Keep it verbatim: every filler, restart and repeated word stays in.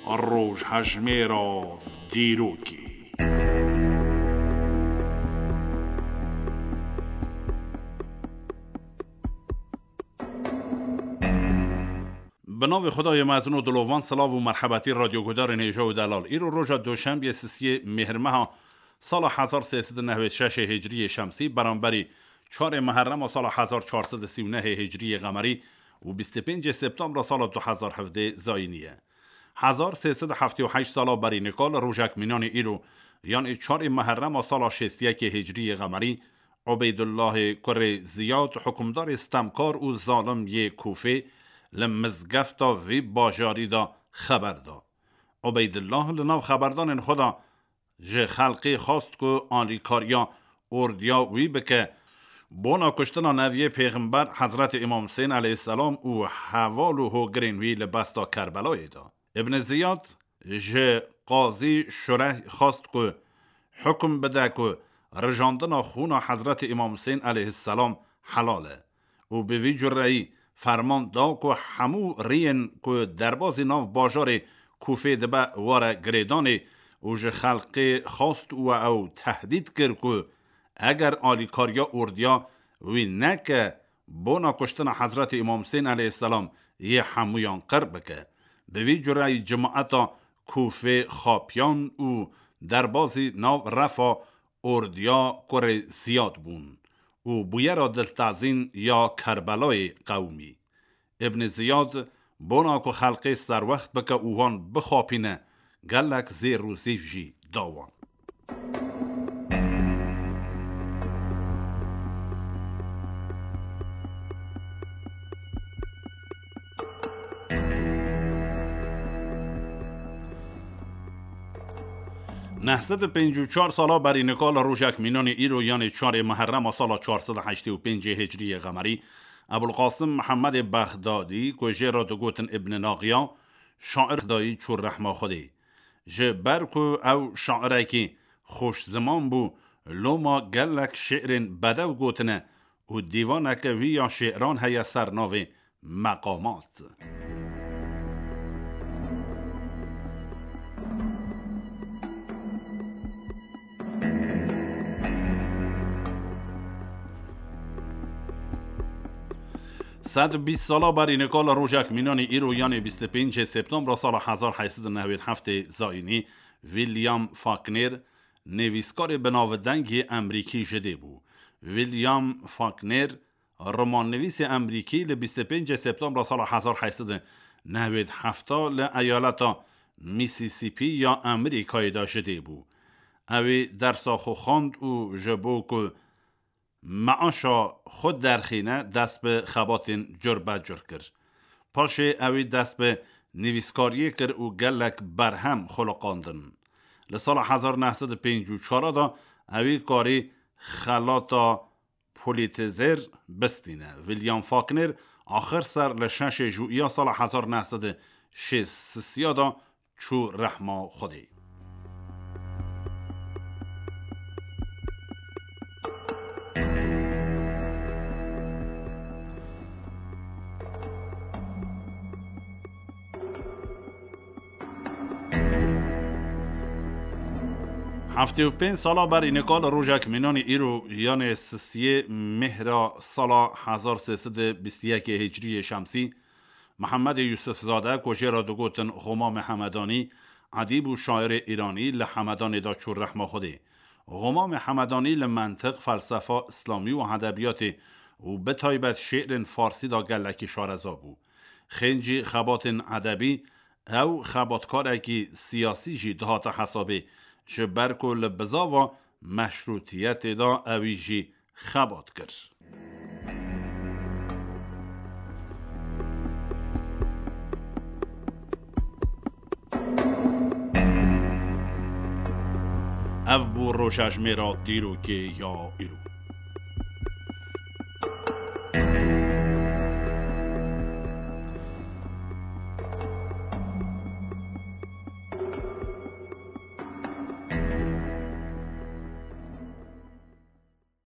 Rojhejmêra dîrokê. Bi navê Xwedayê mezin û dilovan, silav û merhebetî radyoguhdarên hêja û delal. Îro roja Doşembiyê sisiyê Mêhrmeha sala hezar sê sed û newêd şeş ê Hicriyê Şemsî, beramberî çarê Meherrema sala hezar çar sed û sî û nehê Hicriyê Qemerî û bîst û pêncê Septembra sala du hezar hevdê Zayînî ye. Hezar sê sed û heftê û heşt sala berî nika li rojek mînanê îro, yanê çarê Meherrema sala şêst û yekê Hicriyê Qemerî, Ubeydullahê kurê Ziyad, hukimdarê stemkar û zalim yê Kûfê, li mizgefta vî bajarî de xeber da. Ubeydullah li nav xeberdanên xwe de ji xelkê xwest ku alîkariya ordiya wî bike, bona kuştina neviyê pêxember Hezretê Îmam Husên aleyhisselam û heval û hogirên wî li besta Kerbelayê de. Ibn Ziyad ji Qazî Şureh xwest ku hukum bide ku rijandina xûna Hezretê Îmam Husên aleyhisselam helal e û bi vî cureyî ferman da ku hemû riyên ku derbazî nav bajarê Kûfê dibe were girêdanê û ji xelkê xwest û ew tehdîd kir ku eger alîkariya ordiya wî neke, bona kuştina Hezretê Îmam Husên aleyhisselam yê hemûyan qir bike. Bi vî cureyî cimaeta Kûfê xapiyan û derbazî nav refa ordiya kurê Ziyad bûn û bûyera diltezîn ya Kerbelayê qewimî. Ibn Ziyad bona ku xelkê serwext bike û wan bixapîne, gelek zêr û zîv jî da wan. Neh sed û pêncî û çar sala berî nika li rojek mînanê îro, yanê çarê Meherrema sala çar sed û heştê û pêncê Hicriyê Qemerî, Ebulqasim Mihemedê Bexdadî, ku jê re digotin Ibn Naxiya, şair dayî çû rehma Xwedê. Ji ber ku ew şairekî xweşziman bû, loma gelek şi'rên bedew gotine û dîvaneke wî ya şi'ran heye ser navê Meqamat. Sed û bîst sala berî nika li rojek mînanê îro, yanê bîst û pêncê Septembra sala hezar heyt sed û newêd heftê Zayînî, William Faulkner, nivîskarê binavdeng yê Emrîkî ji dê bû. William Faulkner, romannivîsê Emrîkî, li bîst û pêncê Septembra sala hezar heyt sed û newêd heft li eyaleta Mississippi ya Amerîkayê de ji dê bû. Ew ê dersa xwe xwend û ji bo ku meaşa xwe derxîne, dest bi xebatên curbecur kir. Paşê ew ê dest bi nivîskariyê kir û gelek berhem xuliqandin. Li sala hezar neh sed û pêncî û çar de ew ê karî xelata Pulitzer bistîne. William Faulkner axir ser li şeşê Jûiya sala hezar neh sed û şêst sisiya de çû rehma Xwedê. Heftê û pênc sala berî nika li rojek mînanê îro, yanê sisiyê mehra sala hezar sê sed û bîst û yekê Hicriyê Şemsî, Mihemedê Yûsifzade, ku jê re digotin Xomamê Hemedanî, edîb û şairê îranî, li Hemedanê de çû rehma Xwedê. Xomamê Hemedanî li mentiq, felsefa îslamî û edebiyatê û bi taybet şi'rên farsî de gelekî şareza bû. Xêncî xebatên edebî, ew xebatkarekî siyasî jî dihate hesabê, ji ber ku li bizava meşrûtiyetê de ewî jî xebat kir. Ev bû rojejmêra dîrokê ya îro.